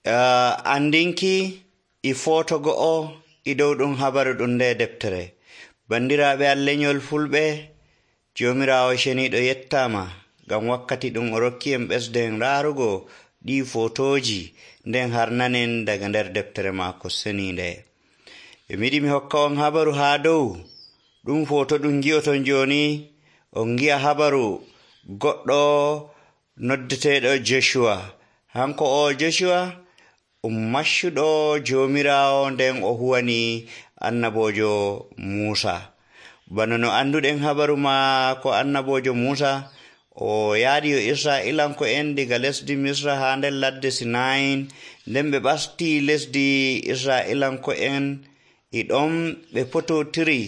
andinki e foto go'o e dow ɗum habaru ɗum nde deftere. Bandiraaɓe am lenyol fulɓe, Joomiraawo ceniiɗo yettama ngam wakkati ɗum o rokki en ɓesden raarugo ɗi fotoji nden harnanen daga nder deftere maako seniinde. E miɗi mi hokka on habaru haa dow ɗum foto ɗum gi'oton jooni. On gi'a habaru goɗɗo noddeteeɗo Joshua. Hanko o Joshua maccuɗo Joomiraawo nden o huwani annabojo Muusa. Bano no anduɗen habaru maako annabojo Muusa, o yaadi yo Isra'ilanko'en diga lesdi Misra haa nder ladde Sinayin, nden ɓe ɓasti lesdi Isra'ilanko'en e ɗon ɓe pototiri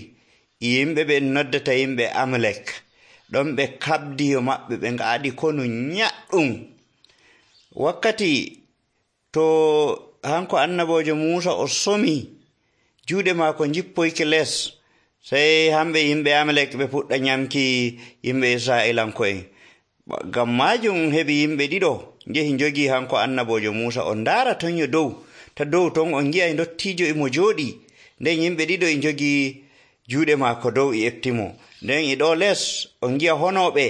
e yimɓe ɓe noddata yimɓe Amalek. ɗon ɓe kabdi yo maɓɓe, ɓe ngaɗi konu nyaɗɗum. Wakkati to hanko annabojo Muusa o somi, juuɗe maako jippoyke les, sey hamɓe yimɓe Amalek ɓe puɗɗa nyamki yimɓe Isra'ilanko'en. Ngam majum heɓi yimɓe ɗiɗo njehi njogii hanko annabojo Muusa. On ndaara ton yo dow, ta dow ton on gi'ay ndottiijo imo jooɗi, nden yimɓe ɗiɗo e njogii juuɗe maako dow e eftimo. Nden e ɗo les on gi'a honooɓe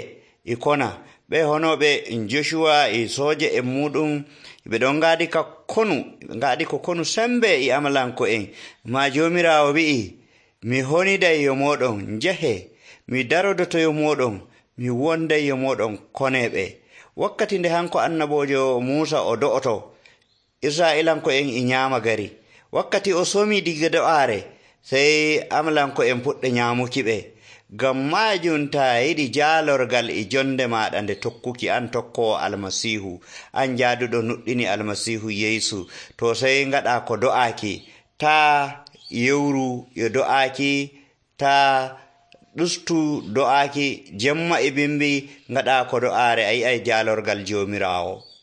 e kona. Ɓe honooɓe Joshua e sooje en muɗum ɓe ɗon ngaadi ka konu, ɓe ngaadi ko konu sembe e Amalanko'en. Ma Joomiraawo wi'i, mi honiday yo moɗon njahe, mi darodoto yo moɗon, mi wonday yo moɗon koneɓe. Wakkati nde hanko annabojo Muusa o do'oto, Isra'ilanko'en e nyaama gari. Wakkati o somi diga do'aare, sey Amalanko'en puɗɗa nyaamuki ɓe. Ngam majum taa yiɗi jaalorgal e jonde maɗa nde tokkuki, an tokkowo Almasiihu, an jaaduɗo nuɗɗini Almasiihu Yeesu, to sey ngaɗa ko do'aaki. Taa yewru yo do'aaki, taa ɗustu do'aaki, jemma e bimbi ngaɗa ko do'aare, a yi'ay jaalorgal Joomiraawo.